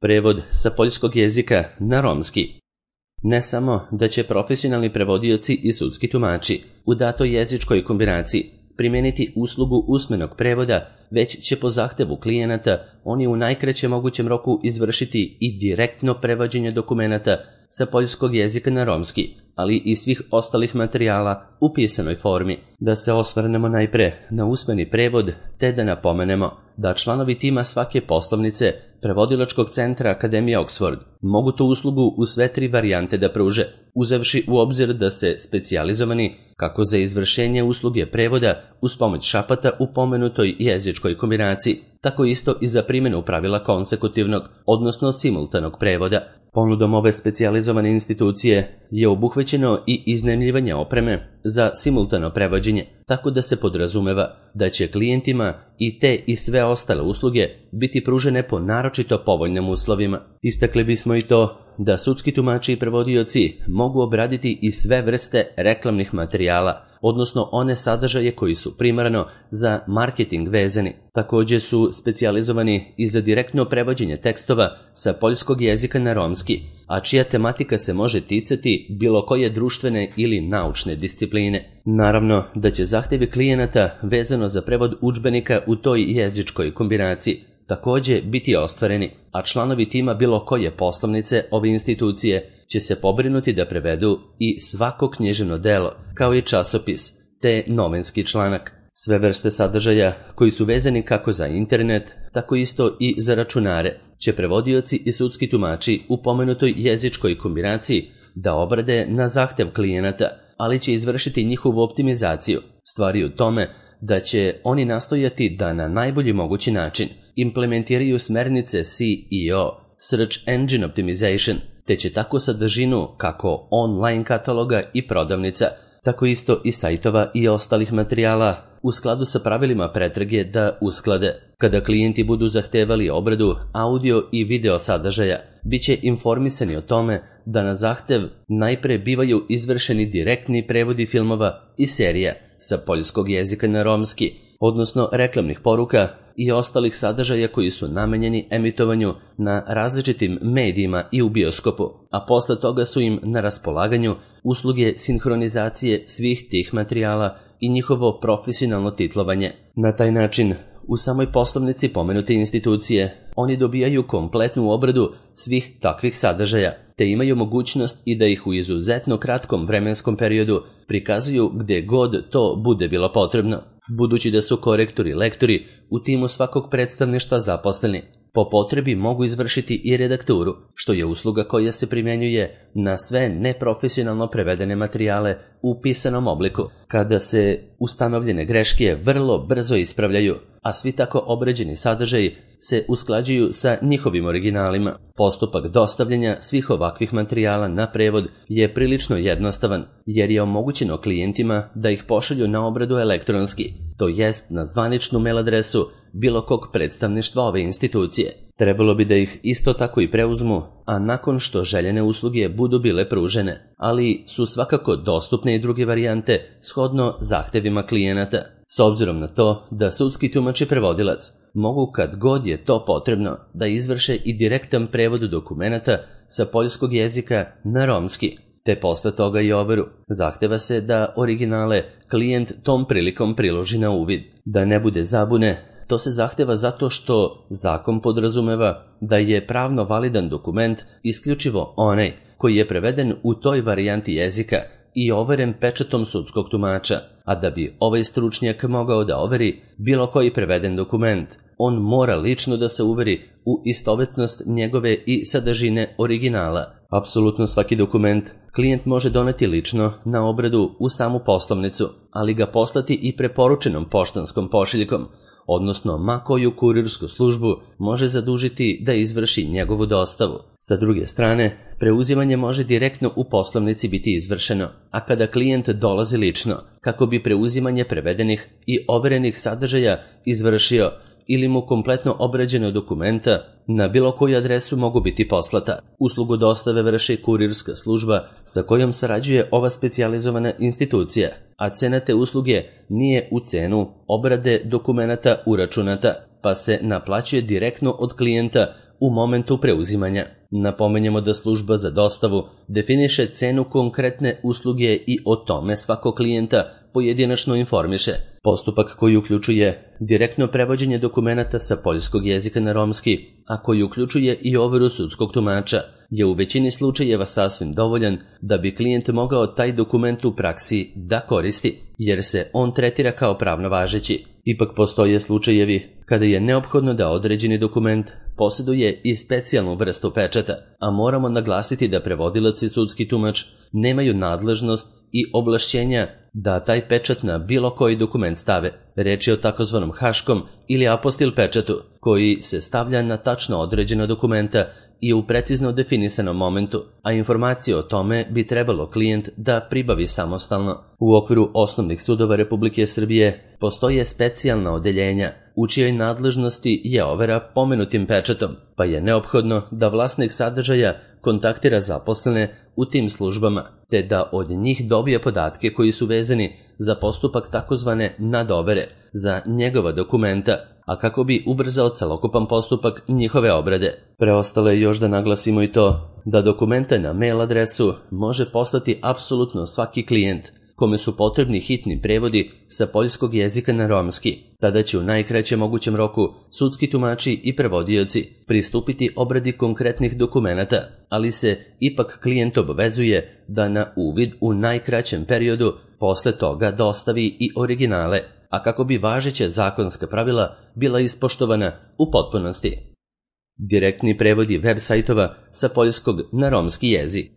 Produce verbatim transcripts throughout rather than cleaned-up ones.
Prevod sa poljskog jezika na romski. Ne samo da će profesionalni prevodioci i sudski tumači u datoj jezičkoj kombinaciji primijeniti uslugu usmenog prevoda, već će po zahtevu klijenata oni u najkraćem mogućem roku izvršiti i direktno prevođenje dokumenata sa poljskog jezika na romski, ali i svih ostalih materijala u pisanoj formi. Da se osvrnemo najpre na usmeni prevod, te da napomenemo da članovi tima svake poslovnice Prevodilačkog centra Akademije Oxford mogu tu uslugu u sve tri varijante da pruže, uzevši u obzir da se specijalizovani kako za izvršenje usluge prevoda uz pomoć šapata u pomenutoj jezičkoj kombinaciji, tako isto i za primjenu pravila konsekutivnog, odnosno simultanog prevoda. Ponudom ove specijalizovane institucije je obuhvaćeno i iznajmljivanje opreme za simultano prevođenje, tako da se podrazumeva da će klijentima i te i sve ostale usluge biti pružene po naročito povoljnim uslovima. Istakli bismo i to da sudski tumači i prevodioci mogu obraditi i sve vrste reklamnih materijala, odnosno one sadržaje koji su primarno za marketing vezani. Također su specijalizovani i za direktno prevođenje tekstova sa poljskog jezika na romski, a čija tematika se može ticati bilo koje društvene ili naučne discipline. Naravno da će zahtjevi klijenata vezano za prevod udžbenika u toj jezičkoj kombinaciji također biti ostvareni, a članovi tima bilo koje poslovnice ove institucije će se pobrinuti da prevedu i svako književno delo, kao i časopis, te novinski članak. Sve vrste sadržaja koji su vezani kako za internet, tako isto i za računare, će prevodioci i sudski tumači u pomenutoj jezičkoj kombinaciji da obrade na zahtev klijenata, ali će izvršiti njihovu optimizaciju. Stvari u tome da će oni nastojati da na najbolji mogući način implementiraju smernice C E O, Search Engine Optimization, te će tako sadržinu kako online kataloga i prodavnica, tako isto i sajtova i ostalih materijala u skladu sa pravilima pretrage da usklade. Kada klijenti budu zahtevali obradu audio i video sadržaja, bit će informisani o tome da na zahtev najpre bivaju izvršeni direktni prevodi filmova i serija sa poljskog jezika na romski, odnosno reklamnih poruka i ostalih sadržaja koji su namenjeni emitovanju na različitim medijima i u bioskopu, a posle toga su im na raspolaganju usluge sinhronizacije svih tih materijala i njihovo profesionalno titlovanje. Na taj način, u samoj poslovnici pomenute institucije, oni dobijaju kompletnu obradu svih takvih sadržaja, te imaju mogućnost i da ih u izuzetno kratkom vremenskom periodu prikazuju gde god to bude bilo potrebno. Budući da su korektori i lektori u timu svakog predstavništva zaposleni, po potrebi mogu izvršiti i redakturu, što je usluga koja se primjenjuje na sve neprofesionalno prevedene materijale u pisanom obliku, kada se ustanovljene greške vrlo brzo ispravljaju, a svi tako obrađeni sadržaji se usklađuju sa njihovim originalima. Postupak dostavljanja svih ovakvih materijala na prevod je prilično jednostavan, jer je omogućeno klijentima da ih pošalju na obradu elektronski, to jest na zvaničnu mail adresu bilo kog predstavništva ove institucije. Trebalo bi da ih isto tako i preuzmu, a nakon što željene usluge budu bile pružene, ali su svakako dostupne i druge varijante shodno zahtevima klijenata. S obzirom na to da sudski tumač i prevodilac mogu kad god je to potrebno da izvrše i direktan prevod dokumenata sa poljskog jezika na romski, te posle toga i overu. Zahteva se da originale klijent tom prilikom priloži na uvid. Da ne bude zabune, to se zahteva zato što zakon podrazumeva da je pravno validan dokument isključivo onaj koji je preveden u toj varijanti jezika i overen pečatom sudskog tumača, a da bi ovaj stručnjak mogao da overi bilo koji preveden dokument, on mora lično da se uveri u istovetnost njegove i sadržine originala. Apsolutno svaki dokument klijent može doneti lično na obradu u samu poslovnicu, ali ga poslati i preporučenom poštanskom pošiljkom, odnosno ma koju kurirsku službu može zadužiti da izvrši njegovu dostavu. Sa druge strane, preuzimanje može direktno u poslovnici biti izvršeno, a kada klijent dolazi lično, kako bi preuzimanje prevedenih i overenih sadržaja izvršio ili mu kompletno obrađeno dokumenta na bilo koju adresu mogu biti poslata. Uslugu dostave vrši kurirska služba sa kojom sarađuje ova specijalizovana institucija, a cena te usluge nije u cenu obrade dokumenata uračunata, pa se naplaćuje direktno od klijenta u momentu preuzimanja. Napomenjemo da služba za dostavu definiše cenu konkretne usluge i o tome svakog klijenta pojedinačno informiše. Postupak koji uključuje direktno prevođenje dokumenata sa poljskog jezika na romski, a koji uključuje i overu sudskog tumača, je u većini slučajeva sasvim dovoljan da bi klijent mogao taj dokument u praksi da koristi, jer se on tretira kao pravno važeći. Ipak postoje slučajevi kada je neophodno da određeni dokument posjeduje i specijalnu vrstu pečata, a moramo naglasiti da prevodilac i sudski tumač nemaju nadležnost i ovlašćenja da taj pečat na bilo koji dokument stave. Reč je o takozvanom haškom ili apostil pečatu, koji se stavlja na tačno određena dokumenta i u precizno definisanom momentu, a informacije o tome bi trebalo klijent da pribavi samostalno. U okviru osnovnih sudova Republike Srbije postoje specijalna odeljenja u čijoj nadležnosti je overa pomenutim pečatom, pa je neophodno da vlasnik sadržaja kontaktira zaposlene u tim službama, te da od njih dobije podatke koji su vezani za postupak takozvane nadovere za njegova dokumenta, a kako bi ubrzao celokupan postupak njihove obrade. Preostalo je još da naglasimo i to da dokumenta na mail adresu može poslati apsolutno svaki klijent kome su potrebni hitni prevodi sa poljskog jezika na romski. Tada će u najkraćem mogućem roku sudski tumači i prevodioci pristupiti obradi konkretnih dokumenata, ali se ipak klijent obavezuje da na uvid u najkraćem periodu posle toga dostavi i originale, a kako bi važeća zakonska pravila bila ispoštovana u potpunosti. Direktni prevodi web sajtova sa poljskog na romski jezik.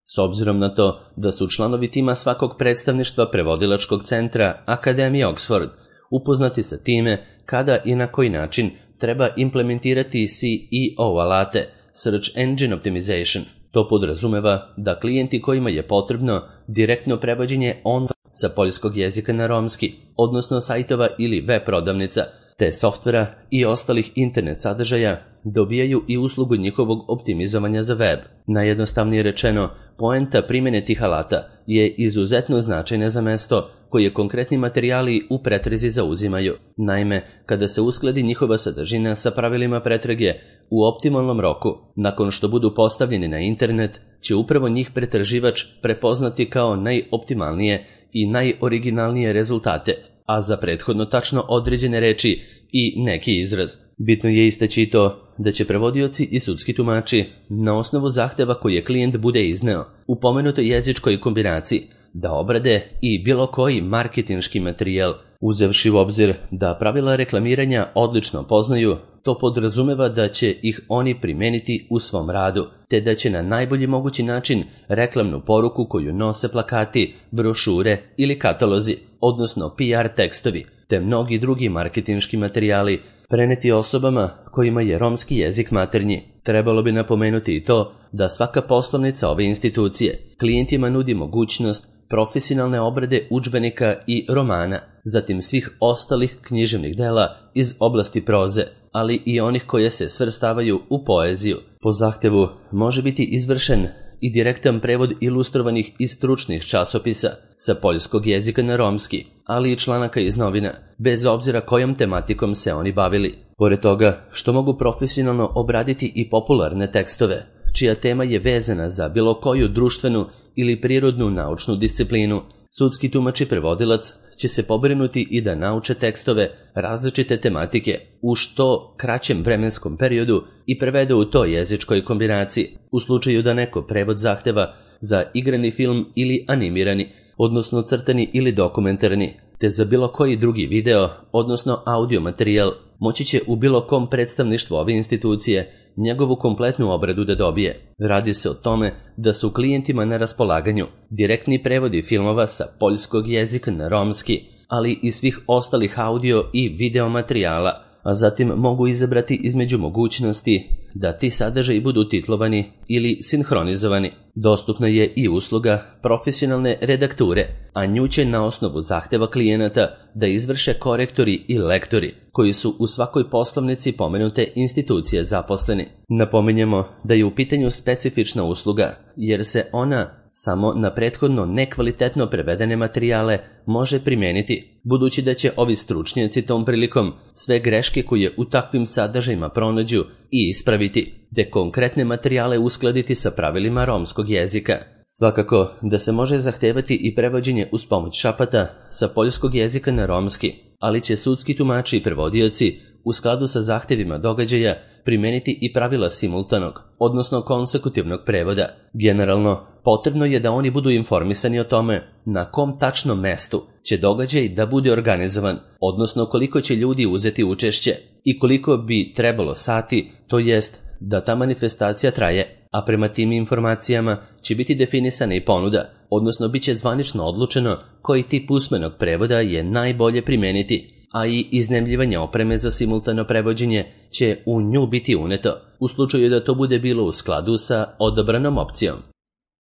S obzirom na to da su članovi tima svakog predstavništva prevodilačkog centra Akademije Oxford upoznati sa time kada i na koji način treba implementirati C E O alate, Search Engine Optimization. To podrazumeva da klijenti kojima je potrebno direktno prevođenje on sa poljskog jezika na romski, odnosno sajtova ili web prodavnica, te softvera i ostalih internet sadržaja, dobijaju i uslugu njihovog optimizovanja za web. Najjednostavnije rečeno, poenta primjene tih alata je izuzetno značajna za mesto koje konkretni materijali u pretrezi zauzimaju. Naime, kada se uskladi njihova sadržina sa pravilima pretrage u optimalnom roku, nakon što budu postavljeni na internet, će upravo njih pretraživač prepoznati kao najoptimalnije i najoriginalnije rezultate, a za prethodno tačno određene reči i neki izraz. Bitno je istaći to da će prevodioci i sudski tumači na osnovu zahteva koje klijent bude izneo u pomenutoj jezičkoj kombinaciji da obrade i bilo koji marketinški materijal. Uzevši u obzir da pravila reklamiranja odlično poznaju, to podrazumeva da će ih oni primeniti u svom radu, te da će na najbolji mogući način reklamnu poruku koju nose plakati, brošure ili katalozi, odnosno P R tekstovi, te mnogi drugi marketinški materijali preneti osobama kojima je romski jezik maternji. Trebalo bi napomenuti i to da svaka poslovnica ove institucije klijentima nudi mogućnost profesionalne obrade udžbenika i romana, zatim svih ostalih književnih dela iz oblasti proze, ali i onih koje se svrstavaju u poeziju. Po zahtevu može biti izvršen i direktan prevod ilustrovanih i stručnih časopisa sa poljskog jezika na romski, ali i članaka iz novina, bez obzira kojom tematikom se oni bavili. Pored toga što mogu profesionalno obraditi i popularne tekstove, čija tema je vezana za bilo koju društvenu ili prirodnu naučnu disciplinu, sudski tumač i prevodilac će se pobrinuti i da nauče tekstove različite tematike u što kraćem vremenskom periodu i prevede u toj jezičkoj kombinaciji, u slučaju da neko prevod zahteva za igrani film ili animirani, odnosno crtani ili dokumentarni, te za bilo koji drugi video, odnosno audio materijal, moći će u bilo kom predstavništvu ove institucije njegovu kompletnu obradu da dobije. Radi se o tome da su klijentima na raspolaganju direktni prevodi filmova sa poljskog jezika na romski, ali i svih ostalih audio i video materijala, a zatim mogu izabrati između mogućnosti da ti sadržaji budu titlovani ili sinhronizovani. Dostupna je i usluga profesionalne redakture, a nju će na osnovu zahteva klijenata da izvrše korektori i lektori, koji su u svakoj poslovnici pomenute institucije zaposleni. Napominjemo da je u pitanju specifična usluga, jer se ona samo na prethodno nekvalitetno prevedene materijale može primijeniti, budući da će ovi stručnjaci tom prilikom sve greške koje u takvim sadržajima pronađu i ispraviti, te konkretne materijale uskladiti sa pravilima romskog jezika. Svakako da se može zahtevati i prevođenje uz pomoć šapata sa poljskog jezika na romski, ali će sudski tumači i prevodioci u skladu sa zahtevima događaja primeniti i pravila simultanog, odnosno konsekutivnog prevoda. Generalno, potrebno je da oni budu informisani o tome na kom tačnom mestu će događaj da bude organizovan, odnosno koliko će ljudi uzeti učešće i koliko bi trebalo sati, to jest da ta manifestacija traje, a prema tim informacijama će biti definisana i ponuda, odnosno bit će zvanično odlučeno koji tip usmenog prevoda je najbolje primeniti, a i iznajmljivanje opreme za simultano prevođenje će u nju biti uneto, u slučaju da to bude bilo u skladu sa odabranom opcijom.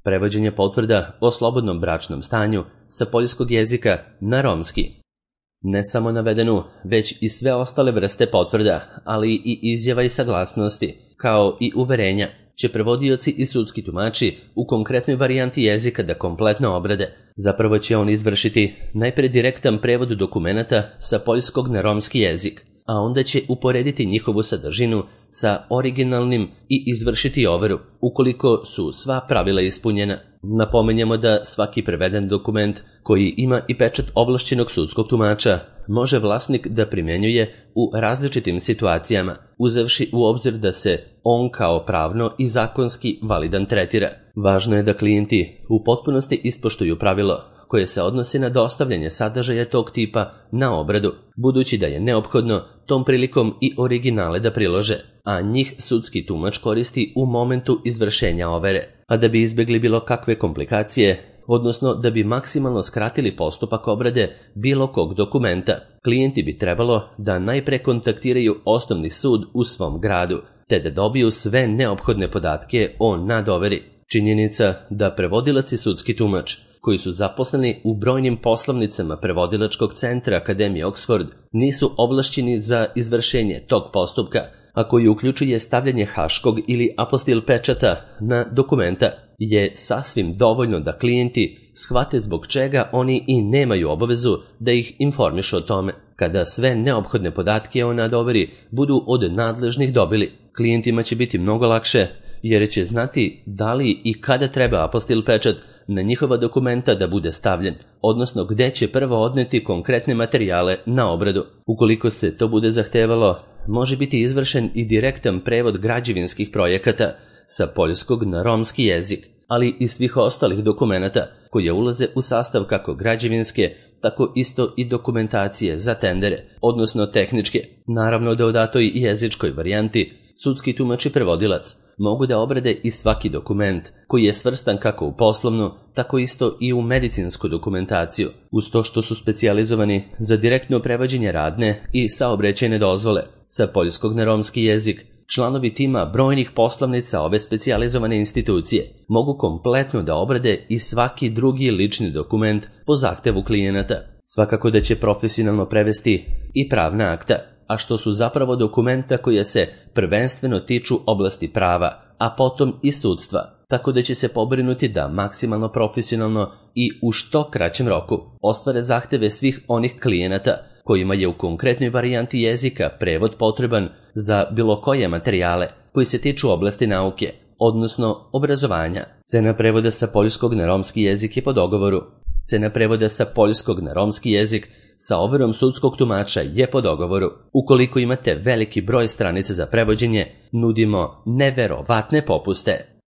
Prevođenje potvrda o slobodnom bračnom stanju sa poljskog jezika na romski. Ne samo navedenu, već i sve ostale vrste potvrda, ali i izjava i saglasnosti, kao i uverenja, će prevodioci i sudski tumači u konkretnoj varijanti jezika da kompletno obrade. Zapravo će on izvršiti najpre direktan prevod dokumenata sa poljskog na romski jezik, a onda će uporediti njihovu sadržinu sa originalnim i izvršiti overu, ukoliko su sva pravila ispunjena. Napomenjemo da svaki preveden dokument koji ima i pečat ovlašćenog sudskog tumača može vlasnik da primjenjuje u različitim situacijama, uzevši u obzir da se on kao pravno i zakonski validan tretira. Važno je da klijenti u potpunosti ispoštuju pravilo koje se odnosi na dostavljanje sadržaja tog tipa na obradu, budući da je neophodno tom prilikom i originale da prilože, a njih sudski tumač koristi u momentu izvršenja overe. A da bi izbjegli bilo kakve komplikacije, odnosno da bi maksimalno skratili postupak obrade bilo kog dokumenta, klijenti bi trebalo da najpre kontaktiraju osnovni sud u svom gradu, te da dobiju sve neophodne podatke o nadoveri. Činjenica da prevodilac i sudski tumač, koji su zaposleni u brojnim poslovnicama prevodilačkog centra Akademije Oxford, nisu ovlašćeni za izvršenje tog postupka, a koji uključuje stavljanje haškog ili apostil pečata na dokumenta, je sasvim dovoljno da klijenti shvate zbog čega oni i nemaju obavezu da ih informišu o tome. Kada sve neophodne podatke o nadoveri budu od nadležnih dobili, klijentima će biti mnogo lakše, jer će znati da li i kada treba apostil pečat na njihova dokumenta da bude stavljen, odnosno gde će prvo odneti konkretne materijale na obradu. Ukoliko se to bude zahtevalo, može biti izvršen i direktan prevod građevinskih projekata sa poljskog na romski jezik, ali i svih ostalih dokumenata koje ulaze u sastav kako građevinske, tako isto i dokumentacije za tendere, odnosno tehničke. Naravno da u datoj jezičkoj varijanti sudski tumač i prevodilac mogu da obrade i svaki dokument koji je svrstan kako u poslovnu, tako isto i u medicinsku dokumentaciju, uz to što su specijalizovani za direktno prevođenje radne i saobraćajne dozvole sa poljskog na romski jezik. Članovi tima brojnih poslovnica ove specijalizovane institucije mogu kompletno da obrade i svaki drugi lični dokument po zahtevu klijenata. Svakako da će profesionalno prevesti i pravna akta, a što su zapravo dokumenta koje se prvenstveno tiču oblasti prava, a potom i sudstva, tako da će se pobrinuti da maksimalno profesionalno i u što kraćem roku ostvare zahteve svih onih klijenata kojima je u konkretnoj varijanti jezika prevod potreban za bilo koje materijale koji se tiču oblasti nauke, odnosno obrazovanja. Cena prevoda sa poljskog na romski jezik je po dogovoru. Cena prevoda sa poljskog na romski jezik sa overom sudskog tumača je po dogovoru. Ukoliko imate veliki broj stranica za prevođenje, nudimo neverovatne popuste.